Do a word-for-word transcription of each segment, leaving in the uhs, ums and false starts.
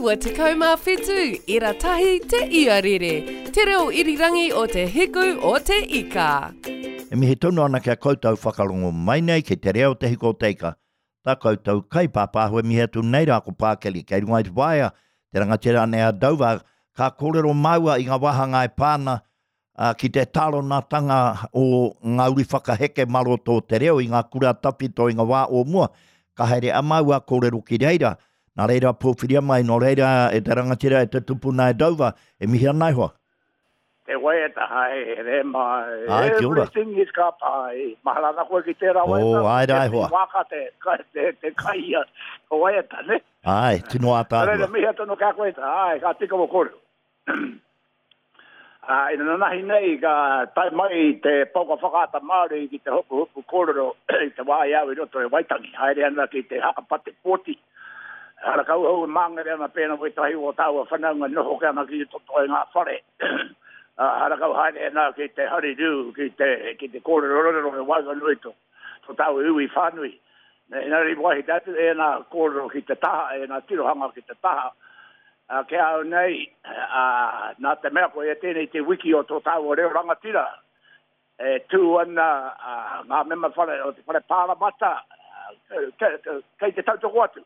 Iwa tekau mā whitu, ira tahi te iarere, te reo irirangi o te hiku o te ika. E mihi tonu ana ki a koutou whakarongo mai nei ki te reo te hiku o te ika. Tā koutou kaipāpāho e mihi atu nei rā ko Pākeli kei runga i te waea, te rangatira nei a Dover, ka kōrero māua i ngā wāhanga e pā ana ki te tāronatanga o ngā uri whakaheke mā roto o te reo i ngā kura tawhito i ngā wā o mua. Ka haere a māua kōrero ki reira. Nā reira pōwhiria mai, nō reira e te rangatira e te tupuna e Dover, e mihi ana e hoa. Te waiata haere mai, Ai, kia ora. Everything is ka pai. Mahara ana koe ki tērā waiata. Oh, ai rā e hoa. Te wāka te, te, te kai ia, o waiata, ne? Ai, tino ātaahua. Nā reira, mihi atu anō ki a koe, ai, ka tika wō kōrero. Ā, inanahi nei ka tae mai te pouka whakaata Māori ki te hopuhopu kōrero i te wā i au i roto i Waitangi, haere ana ki te haka pate pōti. Harakau hou e māngere ana pēnā wētahi o tāua whanaunga noho ke ana ki toto i ngā whare. Ā, harakau haere ana ki te harirū, ki te, ki te kōrerorero e waenganui tō, tō tāua iwi whānui. Engari wāhi te atu ēnā kōrero ki te taha, ēnā tirohanga ki te taha, Ā, ki a au nei, ā, nā te mea koia tēnei te wiki o tō tāua reo rangatira, e tū ana ngā mema whare o te Whare Pāramata, kei te tautoko atu,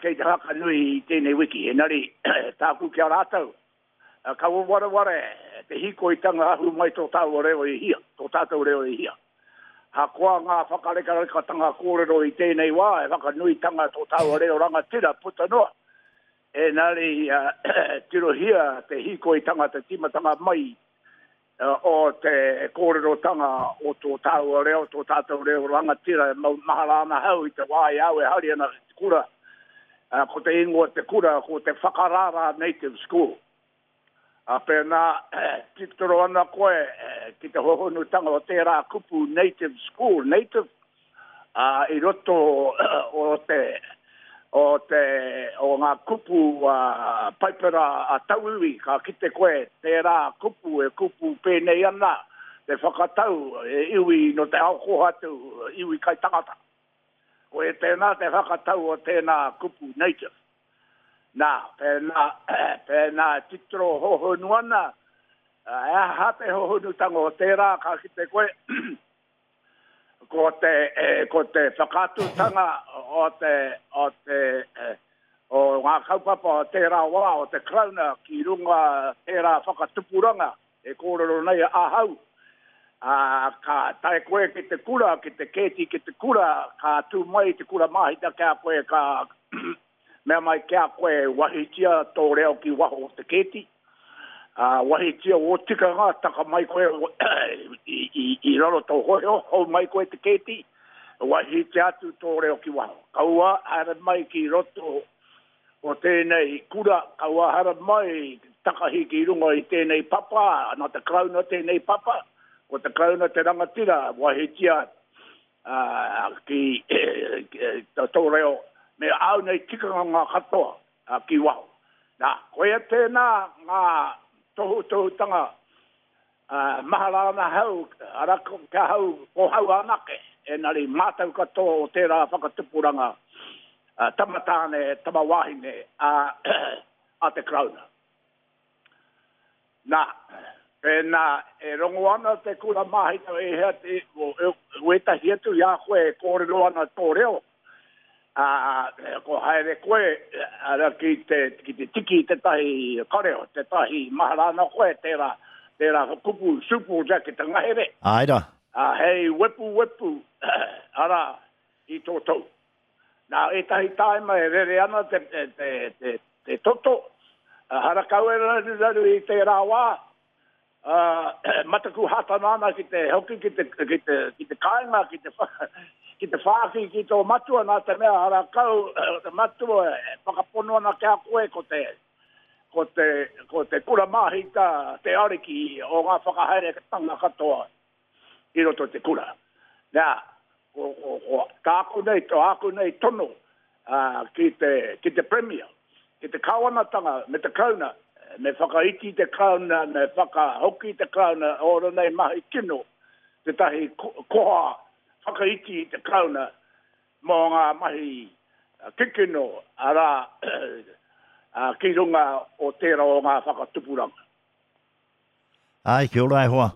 kei te whakanui i tēnei wiki. Engari, tāku ki a rātou, kaua wareware te hīkoitanga ahu mai tō tāua reo i hia, tō tātou reo i hia. Ahakoa ngā whakarekarekatanga kōrero i tēnei wā, e whakanuitanga tō tāua reo rangatira puta noa, Engari, tirohia te hīkoitanga, te tīmatanga mai o te kōrerotanga o tō tāua reo, tō tātou reo rangatira e mau mahara ana hau i te wā i au e haere ana ki te kura. Ko te ingoa o te kura ko te Whakarara Native School. Ā, pēnā titiro ana koe ki te hohonutanga o tērā kupu native school, native, ā, i roto o te, o te, o ngā kupu Paipera a tauiwi, ka kite koe tērā kupu e kupu pēnei ana te whakatau e iwi nō te ao kōhatu, iwi kai tangata. Koia tēnā te whakatau o tēnā kupu native. Nā, pēnā, pēnā e titiro hohonu ana, he aha te hohonutanga o tērā, ka kite koe, ko te, ko te whakaatutanga o te, o te, o ngā kaupapa o tērā wā o te Karauna ki runga tērā whakatupuranga e kōrero nei ahau, ā, ka tae koe ki te kura, ki te kēti ki te kura, ka tū mai te kura māhita ki a koe, ka Mea mai ki a koe, wahitia tō reo ki waho o te kēti, ā, wahitia ō tikanga, taka mai koe i, i, i raro tō hoiho, hou mai koe te kēti, wahitia atu tō reo ki waho. Kaua haere mai ki roto o tēnei kura, kaua haere mai takahi ki runga i tēnei papa, nā te Karauna tēnei papa, ko te Karauna te rangatira, wahitia ā, ki tō reo me āu nei tikanga ngā katoa ki waho. Nā, koia tēnā ngā tohutohutanga mahara ana hau, arā, ki ahau, ko hau anake, engari mātau katoa o tērā whakatupuranga tama tāne, tama wāhine a te Karauna. Nā, pēnā e rongo ana te kura māhita e hea te, o, wētahi atu i a koe e kōrero ana tō reo, ā, ko haere koe, ara, ki te, ki te tiki i tētahi kareo, tētahi mahara ana koe, tērā, tērā kupu supo jacket te ngahere. Āe rā. Ā, hei wepuwepu, arā, i tō tou. Nā ētahi tāima e rere ana te, te, te, te toto, harakau e raruraru i tērā wā, ā, mataku hātana ana ki te hoki ki te, ki te, ki te kāinga, ki te, ki te whāki ki tō matua, nā te mea harakau te matua e whakapono ana ki a koe ko te, ko te, ko te kura māhita te ariki o ngā whakahaeretanga katoa i roto i te kura. Nā, ko, ko, ko tāku nei, tō āku nei tono ā, ki te, ki te Premier, ki te Kāwanatanga me te Karauna, me whakaiti te Karauna, me whakahoki te Karauna ōna nei mahi kino, tētahi koha whakaiti i te Karauna mō ngā mahi kikino, arā, uh, ki runga o tērā o ngā whakatupuranga. Ai, kia ora e hoa.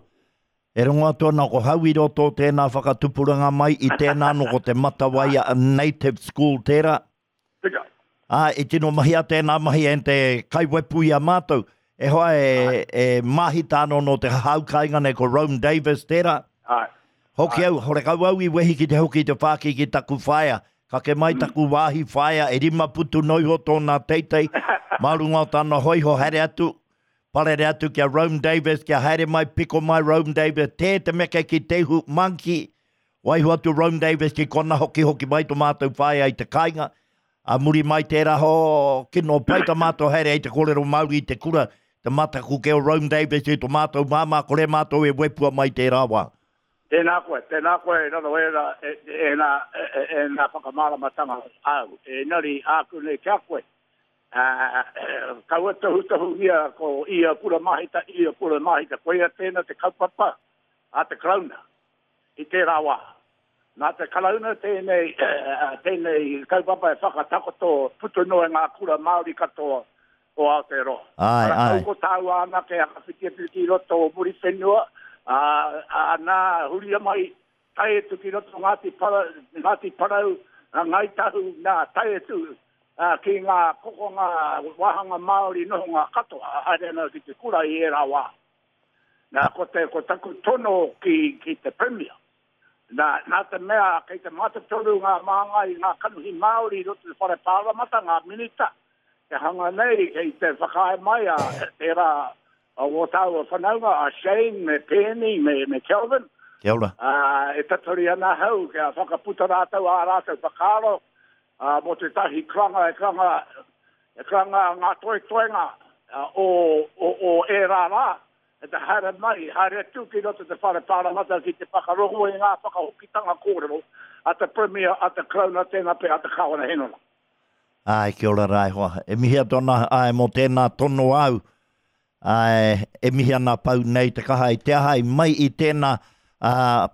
E rongo atu ana ko hau i roto tēnā whakatupuranga mai i tēnā no ko te Matawaia Native School tērā. Tika. Ā, e tino mahi a tēnā mahi en te kaiwepu i a mātou. E hoa e, e mahita anō no te hau kainga nei ko Rome Davis tērā. Ai. Hoki au, horekau au i wehi ki te hoki te whāki ki taku whaea. Kake mai taku wāhi whaea e rima putu noiho tōna teitei. Mā runga o tāna hoiho haere atu. Parere atu kia Rome Davis, kia haere mai, piko mai Rome Davis, tē te meke ki te hu monkey. Waiho atu Rome Davis ki kona hoki hoki mai tō mātou whaea i te kāinga. A muri mai tērā ho, kino pai tā mātou haere i te kōrero Māori i te kura, te mataku ke o Rome Davis i tō mātou māmā, kore mātou e wepua mai tērā wā. Tēnā koe, tēnā koe, raro e rā, e, e, nā, e, e, e nā whakamāramatanga au. E nari āku nei kia koe. Uh, kaua tohu tohu ia ko ia kura mahita, ia kura mahita. Koia tēnā te kaupapa a te Karauna i tērā wā. Nā te Karauna tēnei, tēnei kaupapa e whakatakoto putu noa ngā kura Māori katoa o Aotearoa. Ai, ai. Ko tāua anake whakawhiti atu ki roto o Muriwhenua, a, a, nā huria mai tae atu ki roto Ngāti Parau, Ngāti Parau, Ngāi Tahu, nā tae atu uh, ki ngā kokonga wāhanga Māori nohonga katoa, haere ana ki te kura i ērā wā. Nā, ko, te, ko taku tono ki, ki te Premier. Nā, nā te mea, kei te mātotoru ngā māngai, ngā kanuhi Māori i roto te whare pāramata, ngā minita, te hanga nei, kei te whakaae mai a tērā a o tāua whanaunga, a Shane, me Penny, me, me Kelvin. Kia ora. Uh, e tatori ana hau, kia whakaputa rātou a rātou whakaaro, uh, mō te tahi kranga, e kranga, e kranga ngā toetoenga uh, o, o, o ērā rā, e te haere mai, haere atu ki roto te whare pāramata ki te whakarongo i ngā whakahokitanga kōrero a te Premier, a te Karauna, tēnā pe, a te Kāwana Henona. Ai, kia ora rā e hoa. E mihi atu ana, ai, mō tēnā tono au, ai, e mihi ana pau nei te kaha i te aha i mai i tēnā, uh,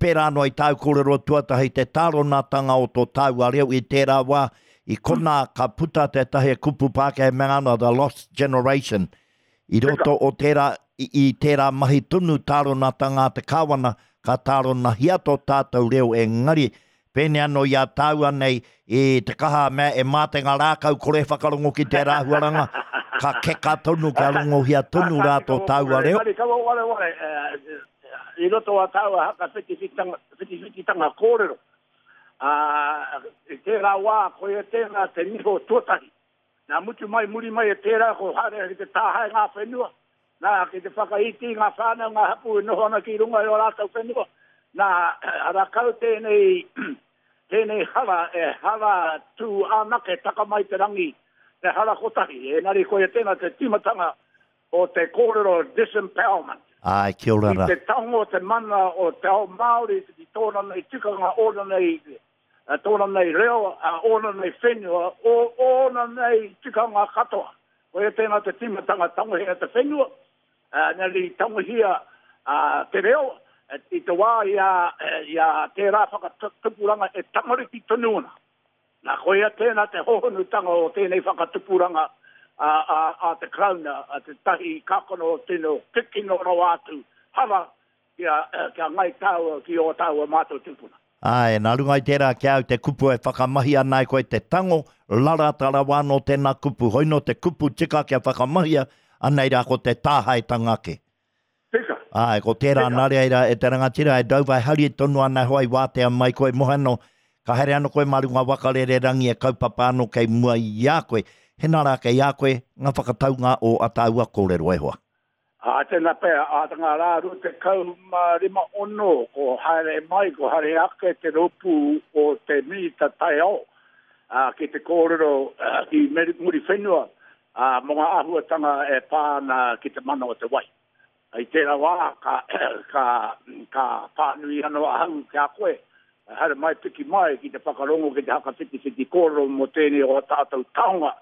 pērā anō i tāu kōrero tuatahi te tāronatanga o tō tāua reo i tērā wā, i kona ka puta tētahi kupu Pākehā e mea ana The Lost Generation. I roto o tērā, i, i tērā mahi tonu tāronatanga a te kāwana, ka tāronahia tō tātou reo engari, pēnei anō i a tāua nei i te kaha mea e mā te ngā rākau kore whakarongo ki te rāhuaranga, ka keka tonu, ka rongohia tonu rā tō tāua reo. Engari, kaua ware ware, i roto a tāua haka whitiwhititanga kōrero. Uh, i tērā wā, koia tēnā te niho tuatahi. Nā mutu mai, muri mai e tērā, ko haere ki te tāhae ngā whenua. Nā, ki te whakaiti ngā whānau, ngā hapu e noho ana ki runga i o rātou whenua. Nā, arakau tēnei, tēnei hara, e hara tū anake taka mai te rangi, te hara kotahi. Engari koia tēnā te timatanga o te kōrero disempowerment. Ai, kia ora rā. I te tango te mana o te ao Māori, ki tōna nei tikanga, ōna nei, tōna nei reo, ōna nei whenua, o, ōna nei tikanga katoa. Koia tēnā te timatanga tangohia te whenua, nari tangohia te reo, i te wā i a, i a tērā whakatupuranga e tamariki tonu ana. Nā, koia tēnā te hohonutanga o tēnei whakatupuranga a, a, a te Karauna, a te tahi kākano o tino kikino rawa atu, hara kia, kia ngai tāua ki o tāua mātou tupuna. Ai, nā runga i tērā kia au te kupu e whakamahi ana e koe te tango, larata rawa anō tēnā kupu, hoino te kupu tika kia whakamahia, anei rā ko te tāhaetanga ake. Tika. Ai, ko tērā nā reira e te rangatira e Dover, hari tonu ana hoa i wātea mai koe mohano, ka haere anō koe mā runga wakarere rangi e kaupapa anō kei mua i a koe. Hena rā kei a koe ngā whakataunga o a tāua kōrero e hoa. A tēnā pea, a ngā rā rua tekau mā rima ono, ko haere mai, ko haere ake te rōpū o te minita taiao, a, ki te kōrero a, ki Muriwhenua, a, mō ngā āhuatanga e pā ana ki te mana o te wai. I tērā wā, ka, ka, ka pānui anō ahau ki a koe, haere mai piki mai ki te whakarongo ki te hakawhitiwhiti kōrero mō tēnei o tātou taonga,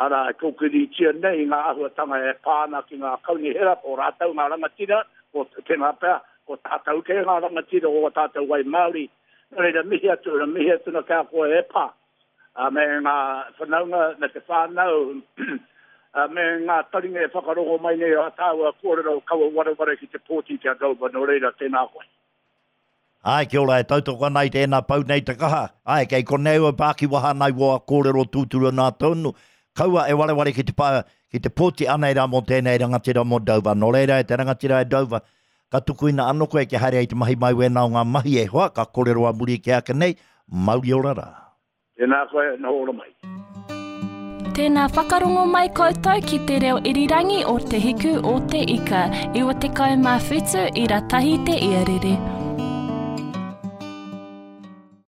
ara e kōkiritia nei ngā āhuatanga e pā ana ki ngā kaunihera, ko rātou ngā rangatira, ko tēnā pea, ko tātou kē ngā rangatira o tātou wai Māori. Nō reira, mihi atu, mihi atu na kia koe e pā. a me ngā whanaunga me te whānau, a me ngā taringa e whakarongo mai nei a tāua kōrero kaua wareware ki te pōti ki a Dover, nō reira, tēnā koe. Ai, kia ora, e tautoko ana i tēnā pau nei te kaha. Ai, kei konei au e pākiwaha ana i wō kōrero tūturu nā tonu. Kaua e wareware ki te, pā, ki te pōti anei rā mō tēnei rangatira mō Dover. Nō reira e te rangatira e Dover, ka tukuina anō koe kia haere ai te mahi mai wēnā o ngā mahi e hoa, ka kōrero a muri ki ake nei, mauri ora rā. Tēnā koe, noho ora mai. Tēnā whakarongo mai koutou ki te reo irirangi o Te Hiku o Te Ika, iwa tekau mā whitu ira tahi te iarere.